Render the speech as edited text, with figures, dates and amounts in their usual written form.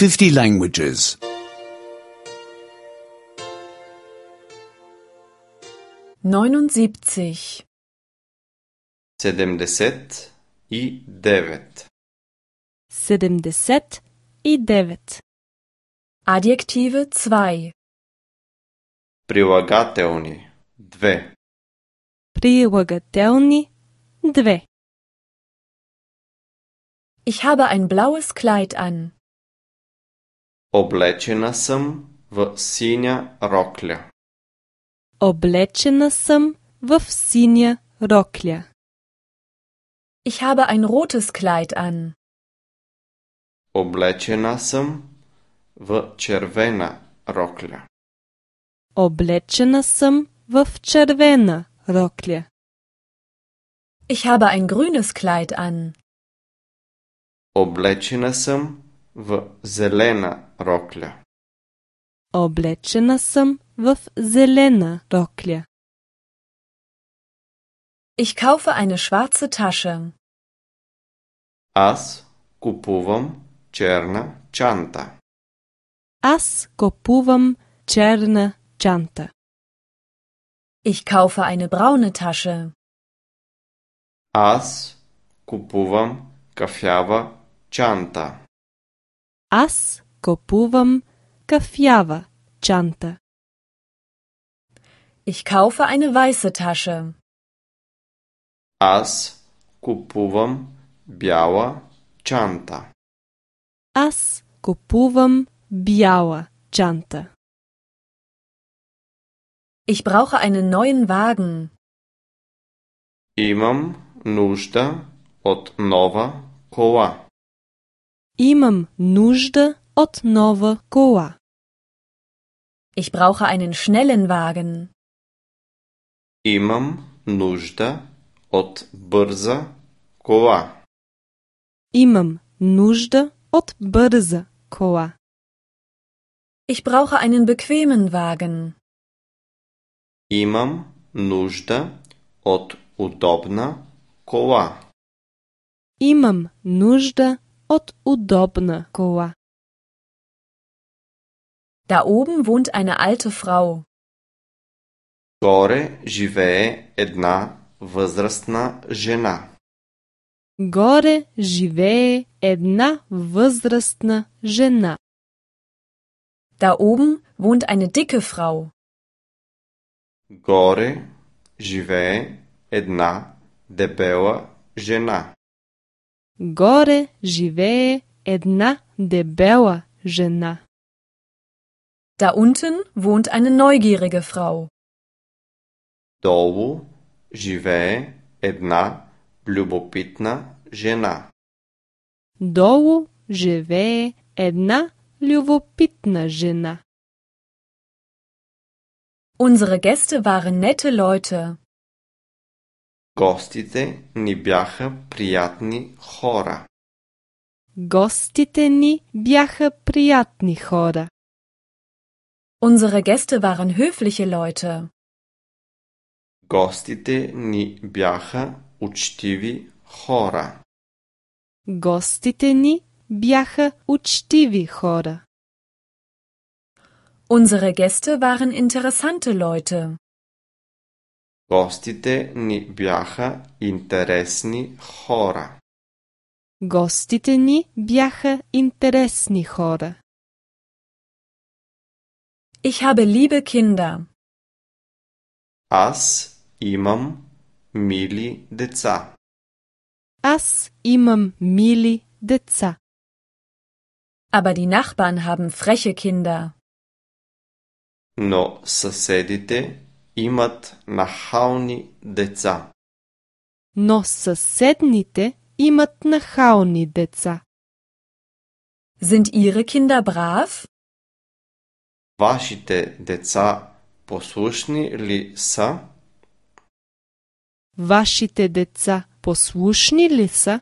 50 languages. 79. 79. 79. Adjektive 2. Прилагателни 2. Прилагателни 2. Ich habe ein blaues Kleid an. Облечена съм в синя рокля. Облечена съм в синя рокля. Ich habe ein rotes Kleid an. Облечена съм в червена рокля. Облечена съм в червена рокля. Ich habe ein grünes Kleid an. Облечена съм в зелена рокля. Облечена съм в зелена рокля. Ich kaufe eine schwarze Tasche. Аз купувам черна чанта. Аз купувам черна чанта. Ich kaufe eine braune Tasche. Аз купувам кафява чанта. Аз купувам кафява чанта. Ich kaufe eine weiße Tasche. Аз купувам бяла чанта. Аз купувам бяла чанта. Ich brauche einen neuen Wagen. Имам нужда от нова кола. Имам нужда от нова кола. Ich brauche einen schnellen Wagen. Имам нужда от бърза кола. Имам нужда от бърза кола. Ich brauche einen bequemen Wagen. Имам нужда от удобна кола. Имам нужда от удобна кола. Da oben wohnt eine alte Frau. Горе живее една възрастна жена. Горе живее една възрастна жена. Da oben wohnt eine dicke Frau. Горе живее една дебела жена. Горе живее една дебела жена. Da unten wohnt eine neugierige Frau. Долу живее една любопитна жена. Долу живее една любопитна жена. Unsere Gäste waren nette Leute. Гостите ни бяха приятни хора. Гостите ни бяха приятни хора. Unsere Gäste waren höfliche Leute. Гостите ни бяха учтиви хора. Гостите ни бяха учтиви хора. Unsere Gäste waren interessante Leute. Гостите ни бяха интересни хора. Гостите ни бяха интересни хора. Ich habe liebe Kinder. Аз имам мили деца. Аз имам мили деца. Aber die Nachbarn haben freche Kinder. Но съседите имат нахални деца. Но съседните имат нахални деца. Sind Ihre Kinder brav? Вашите деца послушни ли са? Вашите деца послушни ли са?